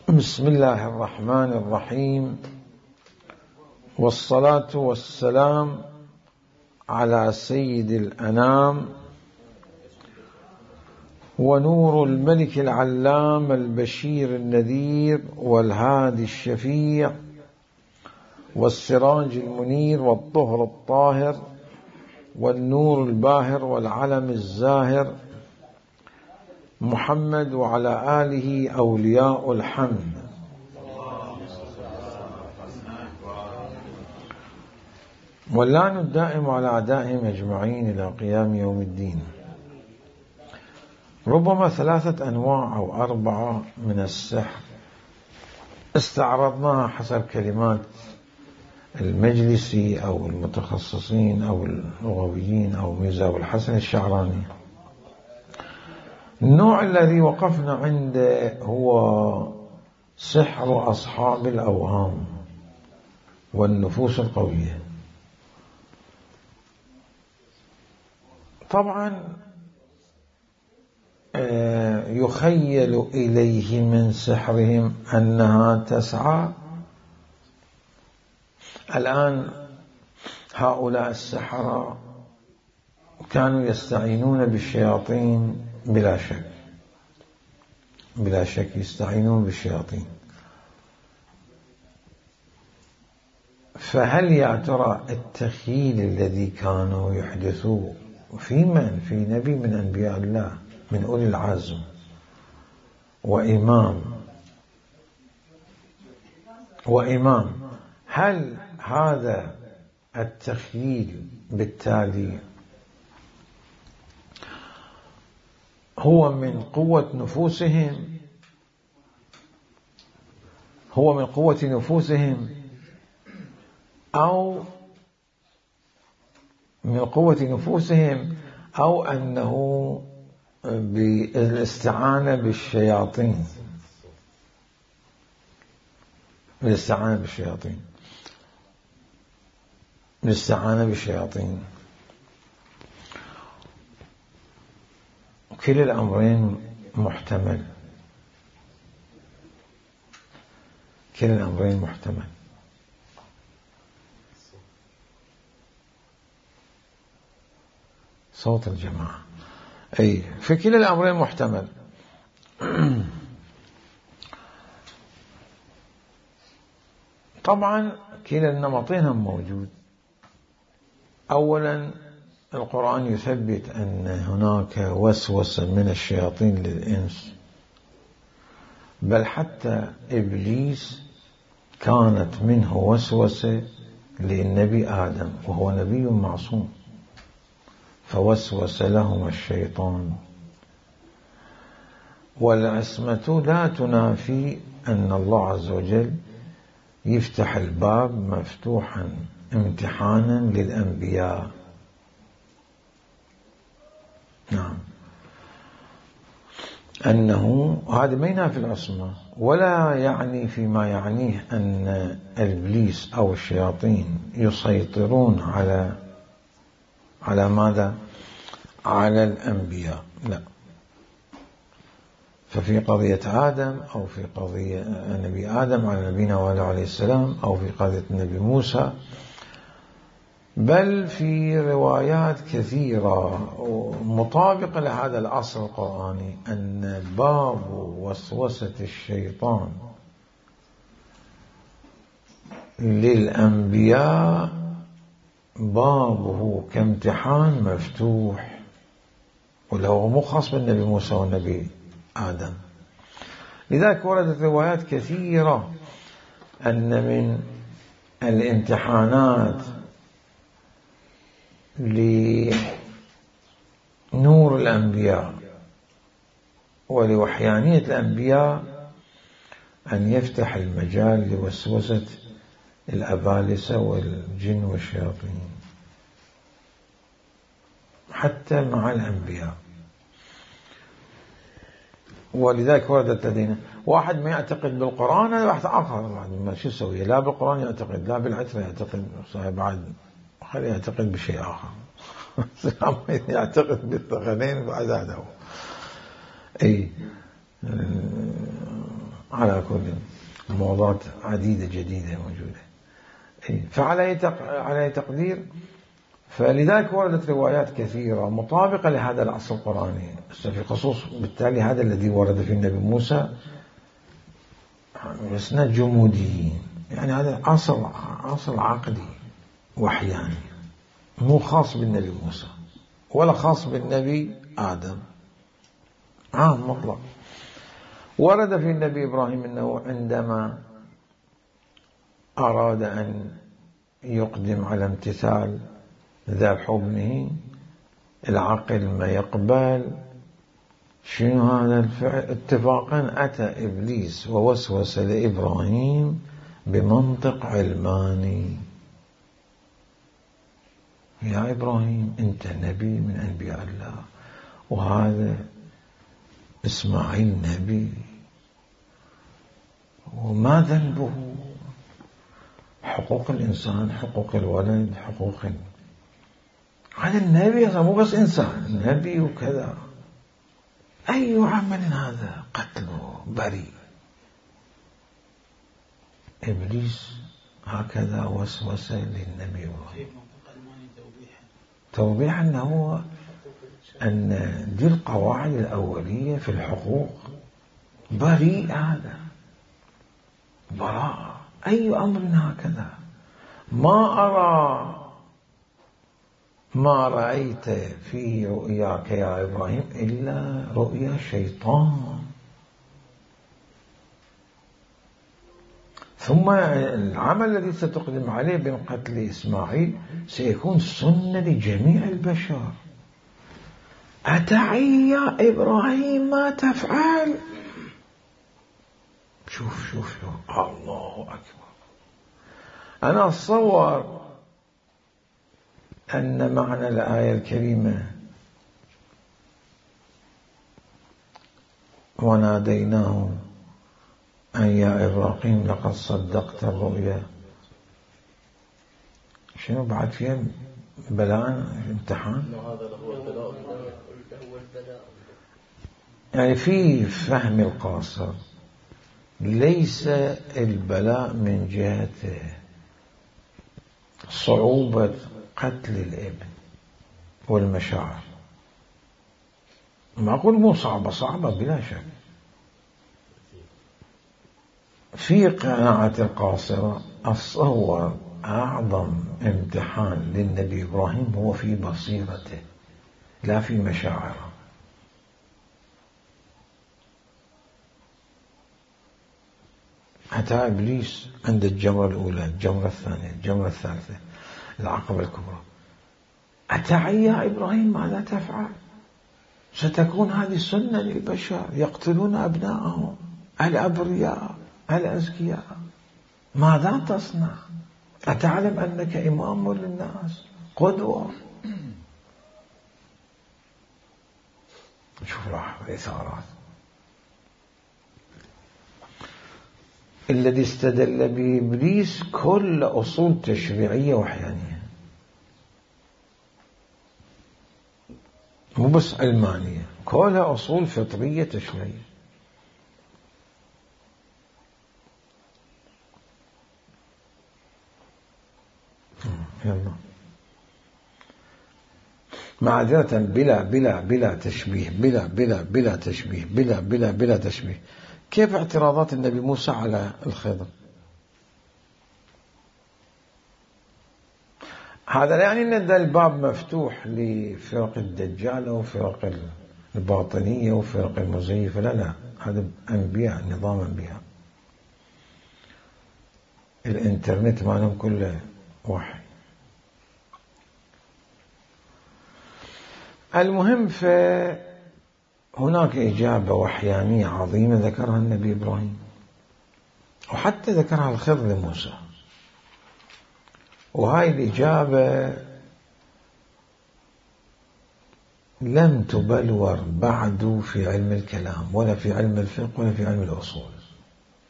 بسم الله الرحمن الرحيم، والصلاة والسلام على سيد الأنام ونور الملك العلام البشير النذير والهادي الشفيع والسراج المنير والطهر الطاهر والنور الباهر والعلم الزاهر محمد وعلى آله أولياء الحمد. واللعن الدائم على أعدائهم أجمعين إلى قيام يوم الدين. ربما 3 أنواع أو 4 من السحر استعرضناها حسب كلمات المجلسي أو المتخصصين أو اللغويين أو ميرزا أبو الحسن الشعراني. النوع الذي وقفنا عنده هو سحر أصحاب الأوهام والنفوس القوية. طبعا يخيل إليه من سحرهم أنها تسعى. الآن هؤلاء السحرة كانوا يستعينون بالشياطين بلا شك يستعينون بالشياطين. فهل يا ترى التخيل الذي كانوا يحدثوه في نبي من أنبياء الله من أولي العزم وإمام، هل هذا التخيل بالتالي هو من قوة نفوسهم أو أنه بالاستعانة بالشياطين. كلا الأمرين محتمل. صوت الجماعة في كلا الأمرين محتمل. طبعا كلا النمطين موجود. أولا القرآن يثبت أن هناك وسوسة من الشياطين للإنس، بل حتى إبليس كانت منه وسوسة للنبي آدم وهو نبي معصوم، فوسوس لهما الشيطان. والعصمة لا تنافي أن الله عز وجل يفتح الباب مفتوحا امتحانا للأنبياء. نعم، أنه هذا ما ينافي العصمة، ولا يعني فيما يعنيه أن إبليس أو الشياطين يسيطرون على ماذا؟ على الأنبياء، لا. ففي قضية آدم أو في قضية نبي آدم على نبينا وعليه السلام أو في قضية النبي موسى، بل في روايات كثيرة مطابقة لهذا الأصل القرآني أن باب وسوسة الشيطان للأنبياء بابه كامتحان مفتوح، وله مو خاص بالنبي موسى والنبي آدم. لذلك وردت روايات كثيرة أن من الامتحانات لنور الأنبياء ولوحيانية الأنبياء أن يفتح المجال لوسوسة الأبالسة والجن والشياطين حتى مع الأنبياء. ولذلك وردت لدينا واحد ما يعتقد بالقرآن، هذا واحد آخر ما شو يسوي، لا بالقرآن يعتقد لا بالعترة يعتقد، بعد خليه يعتقد بشيء آخر. يعتقد بالثقلين بعد هذا. على كل موضات عديدة جديدة موجودة. فعلى أي تقدير، فلذلك وردت روايات كثيرة مطابقة لهذا الأصل القرآني. في خصوص بالتالي هذا الذي ورد في النبي موسى اسناد جموديين، يعني هذا أصل عقدي وحياني مو خاص بالنبي موسى ولا خاص بالنبي آدم، عام مطلق. ورد في النبي إبراهيم أنه عندما أراد أن يقدم على امتثال ذبح ابنه العقل ما يقبل، شنو هذا الفعل؟ اتفاقا أتى إبليس ووسوس لإبراهيم بمنطق علماني: يا إبراهيم أنت نبي من أنبياء الله، وهذا إسماعيل نبي، وما ذنبه؟ حقوق الإنسان، حقوق الولد، حقوق هذا النبي مو بس إنسان، نبي وكذا. أي عمل هذا؟ قتله بريء. إبليس هكذا وسوس للنبي إبراهيم توضيحا أنه أن دي القواعد الأولية في الحقوق، بريء هذا، براءة. أي أمر هكذا؟ ما رأيت في رؤياك يا إبراهيم إلا رؤيا شيطان. ثم العمل الذي ستقدم عليه من قتل إسماعيل سيكون سنة لجميع البشر. أتعي يا إبراهيم ما تفعل؟ شوف الله أكبر. أنا أتصور أن معنى الآية الكريمة وناديناه أن يا إبراهيم لقد صدقت الرؤيا، شنو بعد فيها؟ بلاء، امتحان. يعني في فهم القاصر ليس البلاء من جهة صعوبة قتل الابن والمشاعر، معقول مو صعبة بلا شك. في قناعة القاصرة أتصور أعظم امتحان للنبي إبراهيم هو في بصيرته لا في مشاعره. أتى إبليس عند الجمرة الأولى، الجمرة الثانية، الجمرة الثالثة، العقبة الكبرى: أتعي يا إبراهيم ماذا تفعل؟ ستكون هذه سنة للبشر، يقتلون أبناءهم الأبرياء الأزكياء، ماذا تصنع؟ أتعلم أنك إمام للناس، قدوة؟ شوف الإثارات. الذي استدل به إبليس كل أصول تشريعية وحيانية، مو بس علمانية، كلها أصول فطرية تشريعية. يلا معذرة، بلا تشبيه، بلا تشبيه، بلا تشبيه. كيف اعتراضات النبي موسى على الخضر؟ هذا لا يعني أن الباب مفتوح لفرق الدجال وفرق الباطنية وفرق المزيفة، لا، هذا أنبياء، نظام أنبياء، الإنترنت مالهم كله وحي. المهم، فهناك إجابة وحيانية عظيمة ذكرها النبي إبراهيم، وحتى ذكرها الخضر لموسى، وهاي الإجابة لم تبلور بعد في علم الكلام ولا في علم الفقه ولا في علم الأصول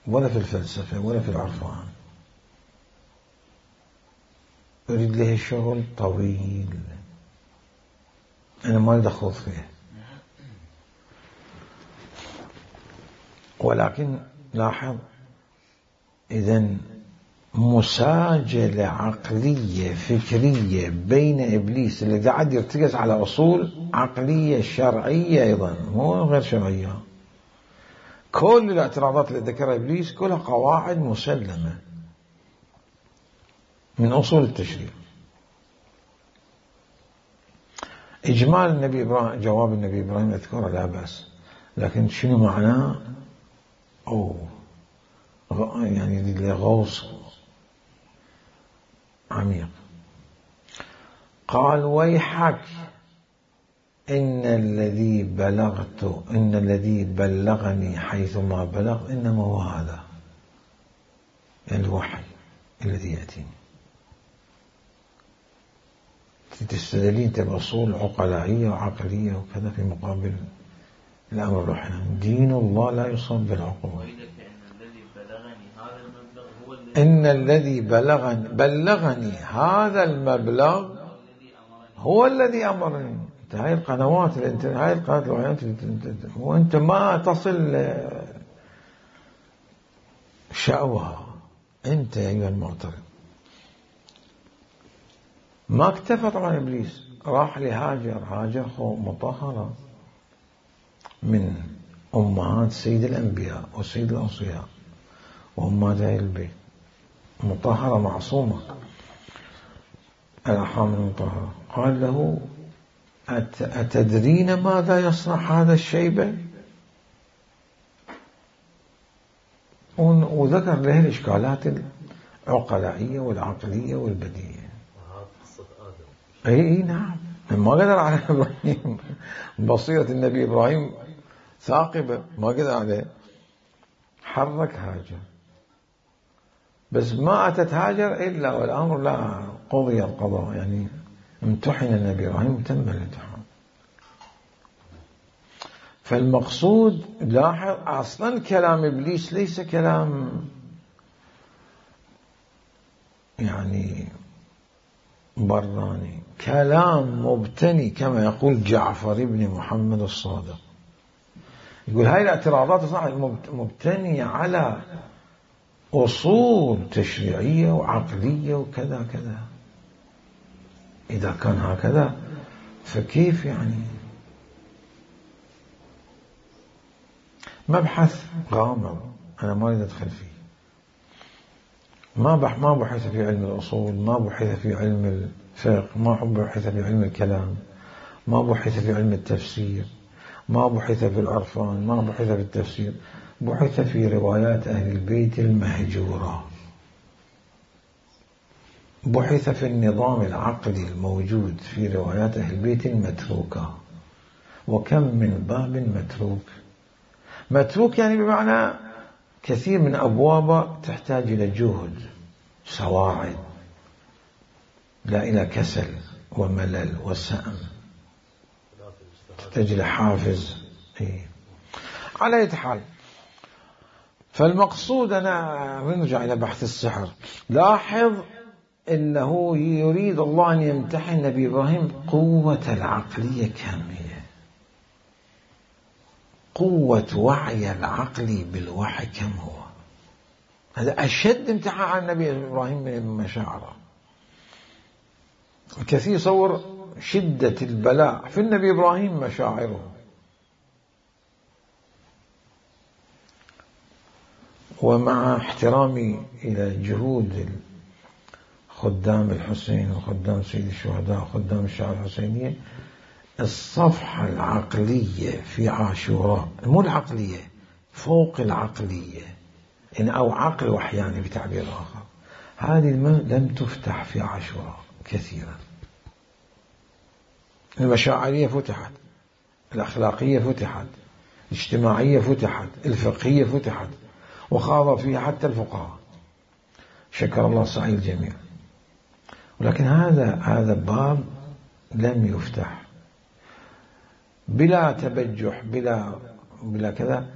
ولا في الفلسفة ولا في العرفان. يريد له شغل طويل أنا ما أريد أخوض فيه، ولكن لاحظ، إذن مساجلة عقلية فكرية بين إبليس الذي قاعد يرتكز على أصول عقلية شرعية أيضا مو غير شرعية. كل الاعتراضات اللي ذكرها إبليس كلها قواعد مسلمة من أصول التشريع. إجمال النبي إبراهيم، جواب النبي إبراهيم أذكره لا بأس، لكن شنو معناه؟ يعني غوص عميق. قال ويحك إن الذي بلغني حيثما بلغ إنما هو هذا، يعني الوحي الذي يأتيني. تستدلين بأصول عقلائية وعقلية وكذا في مقابل الأمر الروحي. دين الله لا يصاب بالعقول. إن الذي بلغني هذا المبلغ هو الذي أمرني. هاي القنوات هاي القنوات الوحيات وأنت ما تصل شأوها أنت يا أيها المعترض. ما اكتفى طبعا إبليس، راح لهاجر. هاجر مطهرة من أمهات سيد الأنبياء وسيد الأوصياء وأمهات أهل البيت، مطهرة معصومة الأرحام المطهرة. قال له أتدرين ماذا يصنع هذا الشيبة؟ وذكر له الإشكالات العقلائية والعقلية والبديهية. أي نعم، ما قدر على إبراهيم، بصيرة النبي إبراهيم ثاقبة، ما قدر عليه، حرك هاجر. بس ما أتت هاجر إلا والأمر لا قضي القضاء، يعني امتحن النبي إبراهيم، تم الامتحان. فالمقصود لاحظ أصلا كلام إبليس ليس كلام يعني براني، كلام مبتني كما يقول جعفر بن محمد الصادق. يقول هاي الاعتراضات مبتنية على أصول تشريعية وعقلية وكذا كذا. إذا كان هكذا فكيف يعني؟ مبحث غامض أنا ما أريد أدخل فيه. ما بحث في علم الأصول، ما بحث في علم الفقه، ما بحث في علم الكلام، ما بحث في علم التفسير، ما بحث في العرفان، ما بحث في التفسير، بحث في روايات أهل البيت المهجورة، بحث في النظام العقلي الموجود في روايات أهل البيت المتروكة. وكم من باب متروك يعني بمعنى كثير من أبواب تحتاج إلى جهد، سواعد، لا إلى كسل وملل وسأم، تحتاج إلى حافز. على أي حال، فالمقصود أنا نرجع إلى بحث السحر. لاحظ إنه يريد الله أن يمتحن نبي إبراهيم قوة العقلية كاملة، قوة وعي العقل بالوحي كم هو. هذا أشد امتحان على النبي إبراهيم من مشاعره. الكثير يصور شدة البلاء في النبي إبراهيم مشاعره. ومع احترامي إلى جهود خدام الحسين وخدام سيد الشهداء وخدام الشعب الحسينية، الصفحة العقلية في عاشوراء، مو العقلية، فوق العقلية، إن أو عقل وحياني بتعبير آخر، هذه لم تفتح في عاشوراء كثيرا. المشاعرية فتحت، الأخلاقية فتحت، الاجتماعية فتحت، الفقهية فتحت، وخاض فيها حتى الفقهاء، شكر الله سعي الجميع. ولكن هذا باب لم يفتح، بلا تبجح، بلا كذا.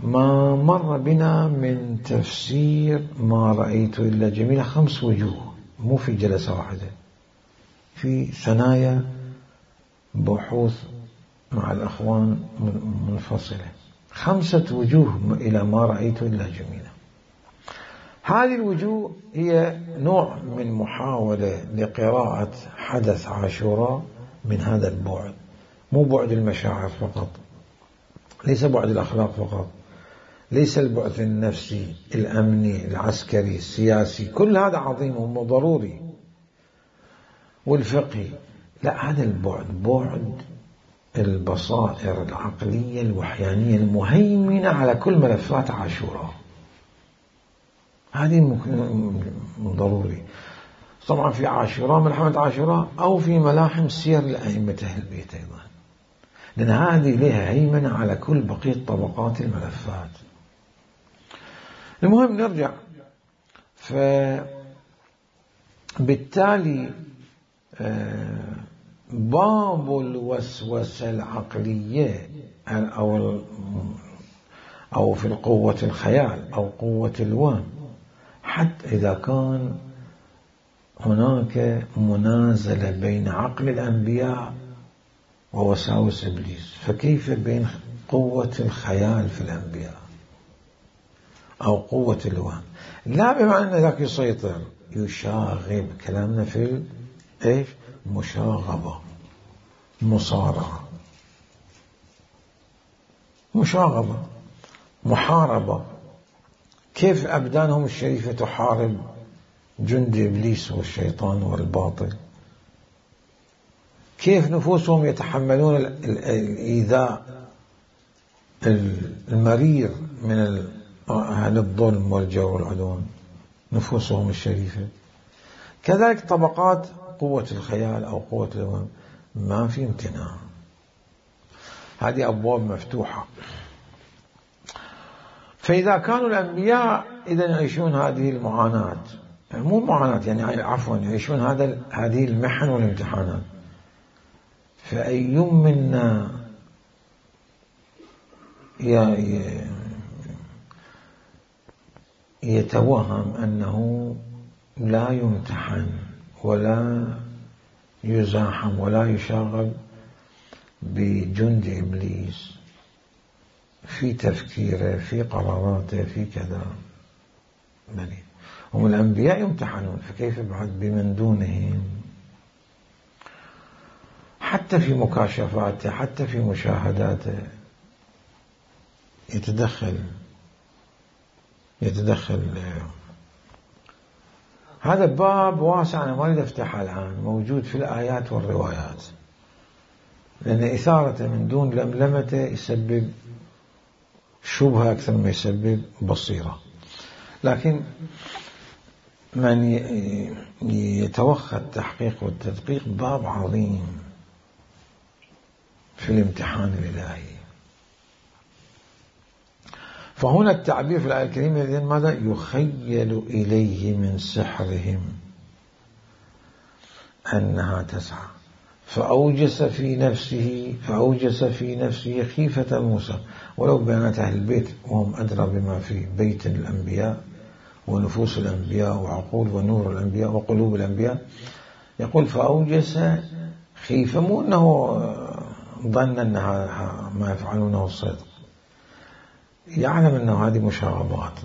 ما مر بنا من تفسير ما رأيت إلا جميلة 5 وجوه، مو في جلسة واحدة، في ثنايا بحوث مع الأخوان منفصلة. 5 وجوه إلى ما رأيت إلا جميلة. هذه الوجوه هي نوع من محاولة لقراءة حدث عاشوراء من هذا البعد، مو بعد المشاعر فقط، ليس بعد الأخلاق فقط، ليس البعد النفسي الأمني العسكري السياسي، كل هذا عظيم وضروري، والفقهي، لا، هذا البعد بعد البصائر العقلية الوحيانية المهيمنة على كل ملفات عاشوراء. هذه ضروري. طبعا في عاشوراء، ملحمة عاشوراء، أو في ملاحم سير الأئمة أهل البيت أيضا، لأن هذه لها هيمنة على كل بقية طبقات الملفات. المهم نرجع. فبالتالي باب الوسوسة العقلية أو في القوة الخيال أو قوة الوهم، حتى إذا كان هناك منازلة بين عقل الأنبياء ووساوس إبليس، فكيف بين قوة الخيال في الأنبياء أو قوة الوهم؟ لا بمعنى أن ذاك يسيطر، يشاغب، كلامنا في إيش؟ مشاغبة، مصارعة، مشاغبة، محاربة. كيف أبدانهم الشريفة تحارب جند إبليس والشيطان والباطل؟ كيف نفوسهم يتحملون الإيذاء المرير من أهل الظلم والجور والعدوان، نفوسهم الشريفة. كذلك طبقات قوة الخيال أو قوة الوهم، ما في امتناع، هذه أبواب مفتوحة. فإذا كانوا الأنبياء إذن يعيشون هذه المعاناة، مو معاناة يعني عفوا، يعيشون هذه المحن والامتحانات، فأي منا يتوهم أنه لا يمتحن ولا يزاحم ولا يشاغب بجند إبليس في تفكيره، في قراراته، في كذا؟ بلي هم الأنبياء يمتحنون، فكيف بعد بمن دونهم؟ حتى في مكاشفاته، حتى في مشاهداته يتدخل. هذا باب واسع، أنا ما أريد أفتحه الآن، موجود في الآيات والروايات، لأن إثارته من دون لملمته يسبب شبهة أكثر ما يسبب بصيرة. لكن من يتوخى التحقيق والتدقيق باب عظيم في الامتحان الإلهي. فهنا التعبير في الآية الكريمة إذن ماذا؟ يخيل إليه من سحرهم أنها تسعى فأوجس في نفسه خيفة موسى. ولو بيانات أهل البيت وهم أدرى بما في بيت الأنبياء ونفوس الأنبياء وعقول ونور الأنبياء وقلوب الأنبياء، يقول فأوجس خيفة، مو أنه ظن أن ما يفعلونه الصدق، يعلم أنه هذه مشاغبات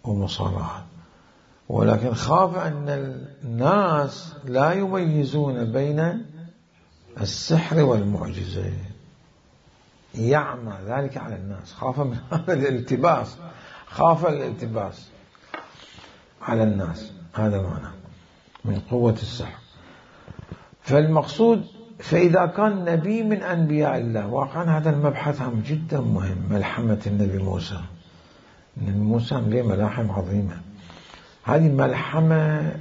ومصارعات، ولكن خاف أن الناس لا يميزون بين السحر والمعجزة، يعمى ذلك على الناس، خاف من هذا الالتباس، خاف الالتباس على الناس، هذا معنى من قوة السحر. فالمقصود، فإذا كان نبي من أنبياء الله، واقعا هذا المبحث هم جدا مهم، ملحمة النبي موسى. النبي موسى له ملاحم عظيمة، هذه ملحمة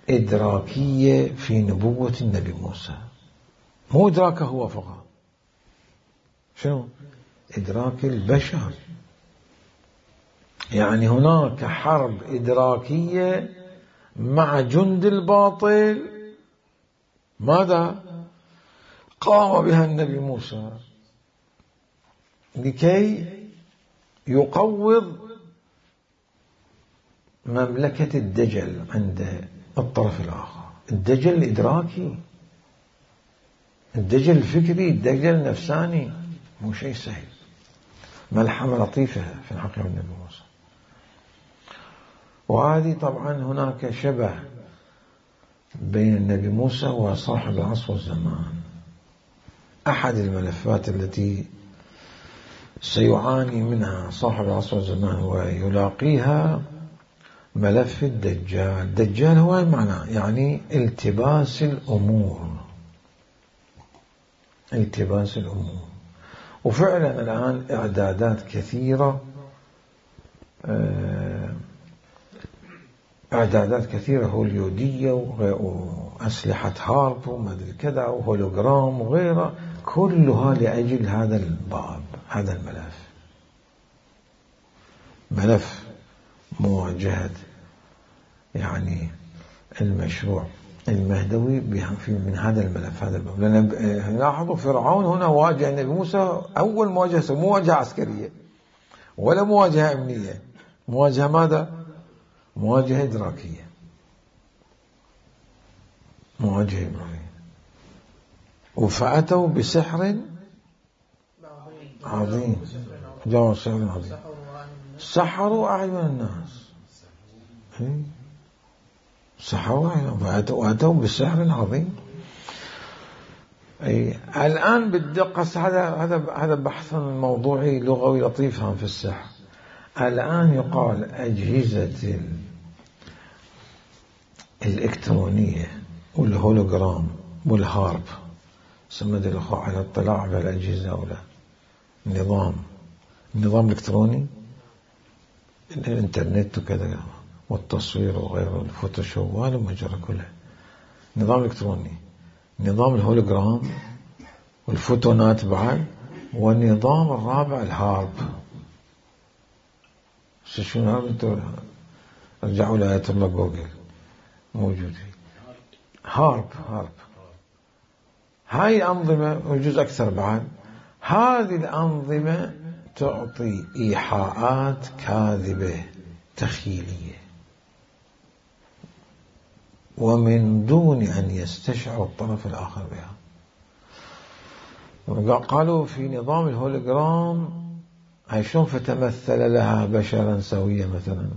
إدراكية في نبوة النبي موسى، مو إدراكه هو فقط، شنو؟ إدراك البشر. يعني هناك حرب إدراكية مع جند الباطل، ماذا قام بها النبي موسى لكي يقوض مملكة الدجل عند الطرف الآخر. الدجل الإدراكي، الدجل الفكري، الدجل النفساني، مو شيء سهل. ملحمة لطيفة في الحقيقة النبي موسى. وهذه طبعا هناك شبه بين النبي موسى وصاحب العصر والزمان. أحد الملفات التي سيعاني منها صاحب العصر والزمان ويلاقيها ملف الدجال. الدجال هو معناه يعني التباس الأمور، التباس الأمور. وفعلا الآن إعدادات كثيرة، إعدادات كثيرة هوليودية وأسلحة هارب وما أدري كذا وهولوجرام وغيرها، كلها لأجل هذا الباب، هذا الملف، ملف مواجهة يعني المشروع المهدوي من هذا الملف، هذا الباب. لأن لاحظوا فرعون هنا واجه النبي موسى أول مواجهة، مو مواجهة عسكرية ولا مواجهة أمنية، مواجهة ماذا؟ مواجهة إدراكية، مواجهة إدراكية. وفأتوا بسحر عظيم، جاءوا سحر عظيم، سحروا أعين الناس، سحروا أعين، وأتوا بسحر عظيم. الآن بالدقة هذا بحث موضوعي لغوي لطيف في السحر. الآن يقال أجهزة الإلكترونية والهولوجرام والهارب، سمد الأخوة على اطلاع بالأجهزة أو لا، النظام الإلكتروني، الإنترنت وكذا والتصوير وغيره، الفوتوشوب وهذا مجرى كله نظام إلكتروني، نظام الهولوجرام والفوتونات بعد، والنظام الرابع الهارب. شنو هارب؟ انتوا رجعوا لآية الله جوجل موجود فيه هارب. هاي أنظمة وجزء أكثر بعد، هذه الأنظمة تعطي إيحاءات كاذبة تخيلية ومن دون أن يستشعر الطرف الآخر بها. قالوا في نظام الهولوجرام هاي شلون فتمثل لها بشرا سويا مثلا،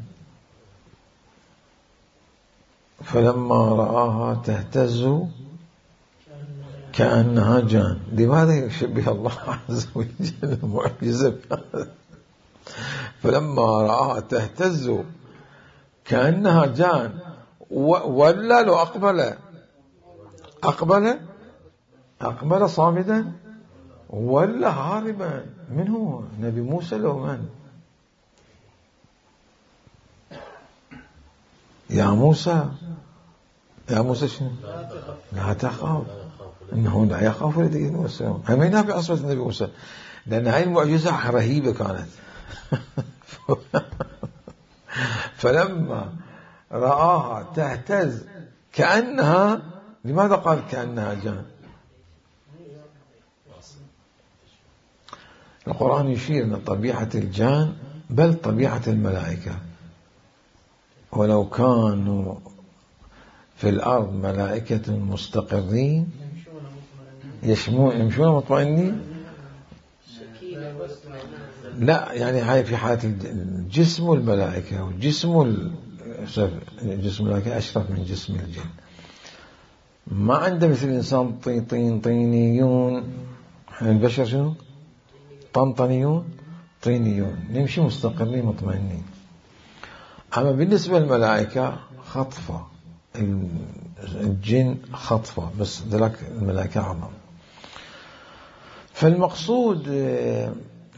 فلما رآها تهتز كأنها جان. لماذا يشبه الله عز وجل معجزة؟ فلما رآها تهتز كأنها جان، ولا لو أقبل صامدا ولا هاربا. من هو؟ نبي موسى لو من؟ يا موسى شنو؟ لا تخاف، إنه لا يخاف الذين يمسون. همينها بعصمة النبي موسى، لأن هاي المعجزة رهيبة كانت. فلما رآها تهتز كأنها، لماذا قال كأنها جان؟ القرآن يشير أن طبيعة الجان بل طبيعة الملائكة، ولو كانوا في الأرض ملائكة مستقرين يمشون مطمئنين. لا يعني هاي في حالة الجسم والملائكة، والجسم جسم الملائكة أشرف من جسم الجن. ما عنده مثل الإنسان طينيون، احنا البشر شنو؟ طنطنيون طينيون، نمشي مستقرين مطمئنين. أما بالنسبة للملائكة خطفة، الجن خطفة، بس ذلك الملائكة أعظم. فالمقصود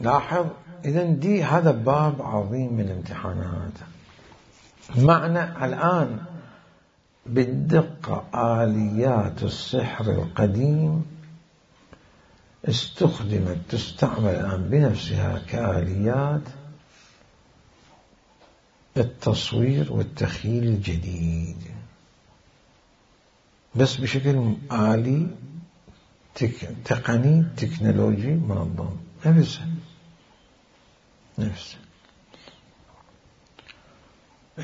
لاحظ إذن هذا باب عظيم من الامتحانات. معنى الآن بالدقة آليات السحر القديم تستعمل الآن بنفسها كآليات التصوير والتخيل الجديد، بس بشكل آلي تقني تكنولوجي منظم. نفسه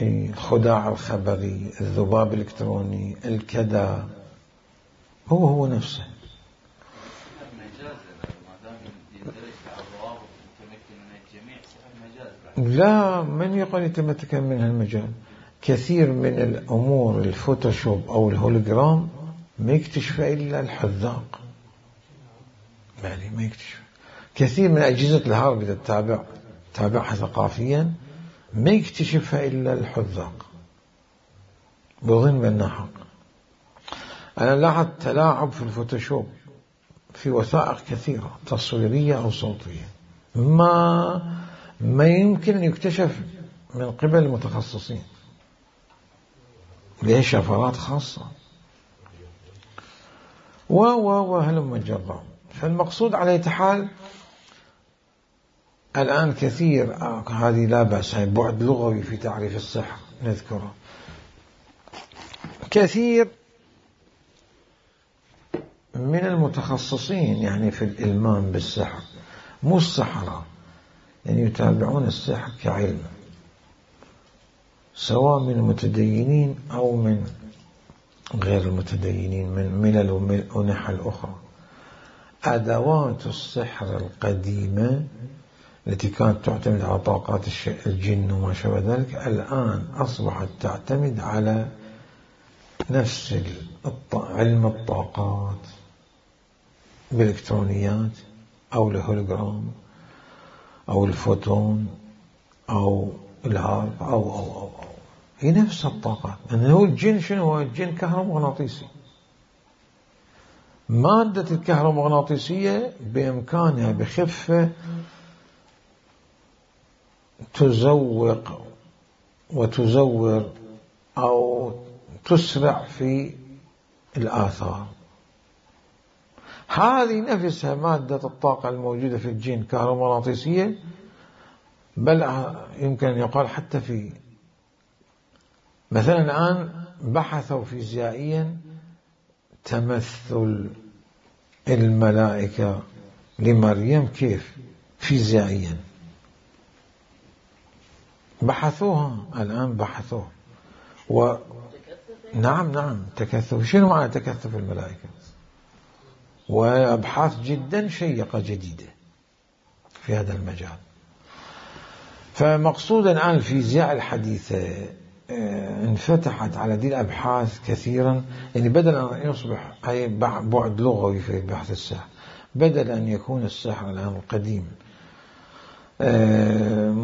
الخداع الخبري، الذباب الإلكتروني، الكذا، هو لا، من يقول يتمكن من هالمجال؟ كثير من الأمور الفوتوشوب أو الهولوجرام ما يكتشفها إلا الحذاق، يعني ما يكتشف. كثير من أجهزة الهارب إذا تتابعها ثقافيا ما يكتشفها إلا الحذاق، بظن بأنها حق. أنا لاحظت تلاعب في الفوتوشوب في وثائق كثيرة تصويرية أو صوتية ما يمكن أن يكتشف من قبل المتخصصين، ليه شفرات خاصة وهلم جرا. فالمقصود على أي حال الآن كثير هذه لا بأس، هي بعد لغوي في تعريف السحر نذكره. كثير من المتخصصين يعني في الإلمام بالسحر، مو السحرة، يعني يتابعون السحر كعلم، سواء من المتدينين أو من غير المتدينين، من ملل ونحل أخرى. أدوات السحر القديمة التي كانت تعتمد على طاقات الجن وما شابه ذلك الآن أصبحت تعتمد على نفس علم الطاقات بالإلكترونيات أو الهولوجرام أو الفوتون أو الهارب أو هي نفس الطاقات. لأنه هو الجن شنو هو؟ الجن كهرومغناطيسي. مادة الكهرومغناطيسية بإمكانها بخفة تزوق وتزور أو تسرع في الآثار. هذه نفسها مادة الطاقة الموجودة في الجن كهرومغناطيسية، بل يمكن أن يقال حتى في مثلا الآن بحثوا فيزيائيا تمثل الملائكة لمريم كيف فيزيائيا، بحثوها الآن بحثوها نعم تكثف. شنو معنى تكثف الملائكة؟ وأبحاث جدا شيقة جديدة في هذا المجال. فمقصود الآن الفيزياء الحديثة انفتحت على دي الأبحاث كثيرا، يعني بدل أن يصبح أي بعد لغوي في بحث السحر، بدل أن يكون السحر الآن القديم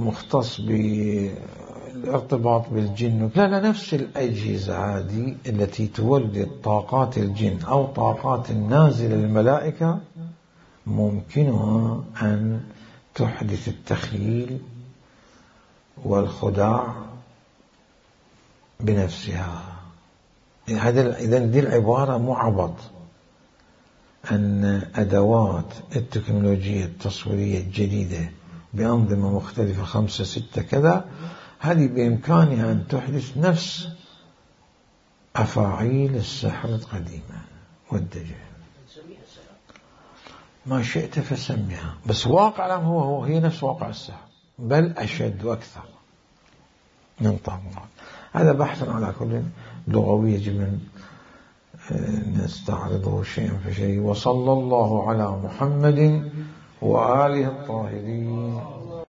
مختص بالارتباط بالجن، لا نفس الأجهزة هذه التي تولد طاقات الجن أو طاقات النازلة للملائكة ممكنها أن تحدث التخيل والخداع بنفسها. إذن دي العبارة مو عبط، أن أدوات التكنولوجيا التصويرية الجديدة بأنظمة مختلفة 5 6 كذا، هذه بإمكانها أن تحدث نفس أفاعيل السحر القديمة والدجل. ما شئت فسميها، بس واقع الآن هي نفس واقع السحر، بل أشد وأكثر من طاقات. هذا بحث على كل لغوي يجب أن نستعرضه شيئا فشيء. وصلى الله على محمد وآله الطاهرين.